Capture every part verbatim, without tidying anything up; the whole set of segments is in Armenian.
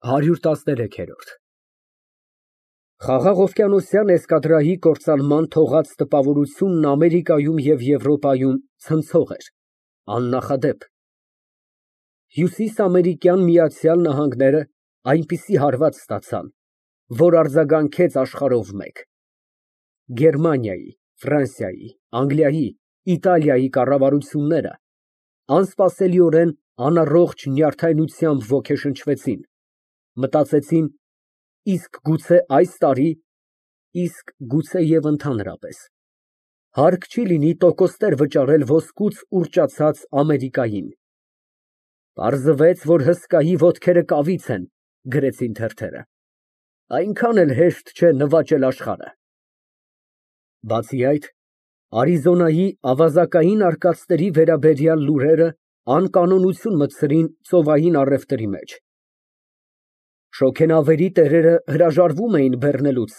հարյուր տասներեք։ Խաղաղ օվկիանոսյան էսկադրայի կործանման թողած տպավորությունն Ամերիկայում և Եվրոպայում ցնցող էր, աննախադեպ։ Հյուսիսամերիկյան Միացյալ Նահանգները այնպիսի հարված ստացան, որ արձագանքեց աշխարհով մեկ։ Գերմանիայի, Ֆրանսիայի, Անգլիայի, Իտալիայի կառավարությունները անսպասելիորեն անառողջ նյարդայնությամբ ոգեշնչվեցին, մտածեցին, իսկ գուցե այս տարի, իսկ գուցեև ընդհանրապես, հարկ չի լինի տոկոսներ վճարել ոսկուց ուռճացած Ամերիկային։ Պարզվեց, որ հսկայի ոտքերը կավից են, գրեցին թերթերը, այնքան էլ հեշտ չէ նվաճել աշխարհը։ Բացի այդ, Արիզոնայի ավազակային արկածների վերաբերյալ լուրերը անկանոնություն մտցրին ծովային առևտրի մեջ։ Շոգենավերի տերերը հրաժարվում էին բեռնելուց,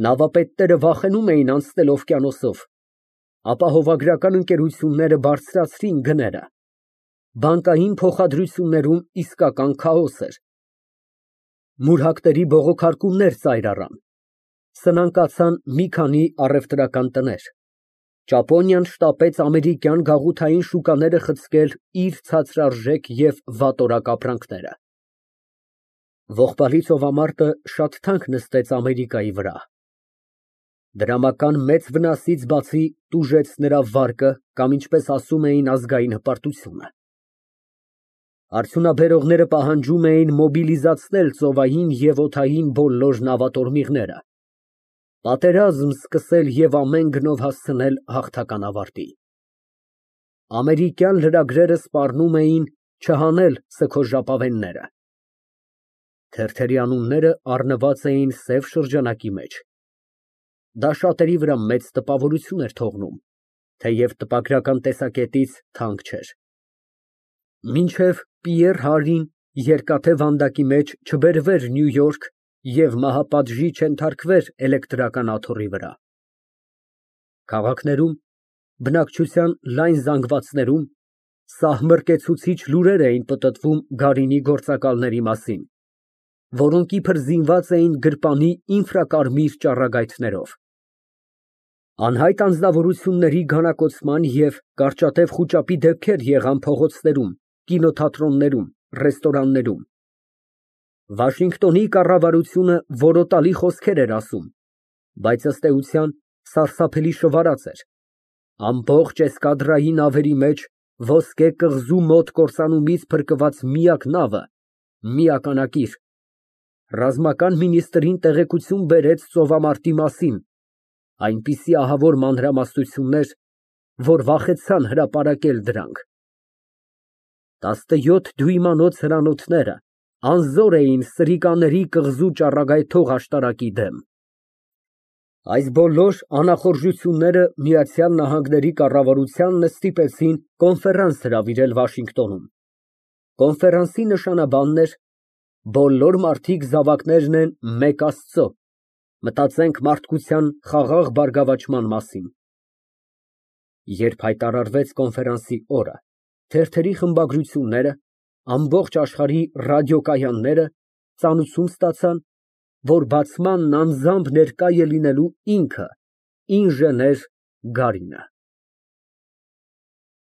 նավապետները վախենում էին անցնել օվկիանոսով, ապահովագրական ընկերությունները բարձրացրին գները, բանկային փոխադրություններում իսկական քաոս էր։ Մուրհակների բողոքարկումներ ծայր առան, սնանկացան մի քանի առևտրական տներ, Ճապոնիան շտապեց ամերիկյան գաղութային շուկաները խցկել իր ցածրարժեք և վատորակ ապրանքները։ Ողբալի ծովամարտը շատ թանկ նստեց Ամերիկայի վրա։ Դրամական մեծ վնասից բացի տուժեց նրա վարկը կամ, ինչպես ասում էին, ազգային հպարտությունը։ Արդյունաբերողները պահանջում էին մոբիլիզացնել ծովային և օդային բոլոր նավատորմիղները, պատերազմ սկսել և ամեն գնով հասցնել հաղթական ավարտի։ Ամերիկյան լրագրերը սպառնում էին չհանել սգո ժապավենները։ Թերթերի անունները առնված էին սև շրջանակի մեջ։ Դա շատերի վրա մեծ տպավորություն էր թողնում, թեև տպագրական տեսակետից թանկ չէր։ Մինչև Պիեռ Հարին Երկաթե վանդակի մեջ չբերվեր Նյու Յորք և մահապատժի չենթարկվեր էլեկտրական աթոռի վրա։ Քաղաքներում, բնակչության լայն զանգվածներում սահմռկեցուցիչ լուրեր էին պտտվում գարինի գործակալների մասին, որոնք իբր զինված էին գրպանի ինֆրակարմիր ճառագայթներով։ Անհայտ անձնավորությունների գանակոծման և կարճատև խուճապի դեպքեր եղան փողոցներում, կինոթատրոններում, ռեստորաններում։ Վաշինգտոնի կառավարությունը որոտալի խոսքեր էր ասում, բայց ըստ էության սարսափելի շվարած էր։ Ամբողջ էսկադրայի նավերի մեջ ոսկե կղզու մոտ կործանումից փրկված միակ նավը մի ակնակիր ռազմական մինիստրին տեղեկություն բերեց ծովամարտի մասին, այնպիսի ահավոր մանրամասնություններ, որ վախեցան հրապարակել դրանք։ Տասնյոթ դյույմանոց հրանոթները անզոր էին սրիկաների կղզու ճառագայթող աշտարակի դեմ։ Այս բոլոր անախորժությունները Միացյալ Նահանգների կառավարությանն ստիպեցին կոնֆերանս հրավիրել Վաշինգտոնում։ Կոնֆերանսի նշանաբանն էր «Բոլոր մարդիկ զավակներն են մեկ Աստծո, մտածենք մարդկության խաղաղ բարգավաճման մասին»։ Երբ հայտարարվեց կոնֆերանսի օրը, թերթերի խմբագրությունները, ամբողջ աշխարհի ռադիոկայանները ծանուցում ստացան, որ բացմանն անձամբ ներկա է լինելու ինքը ինժեներ Գարինը։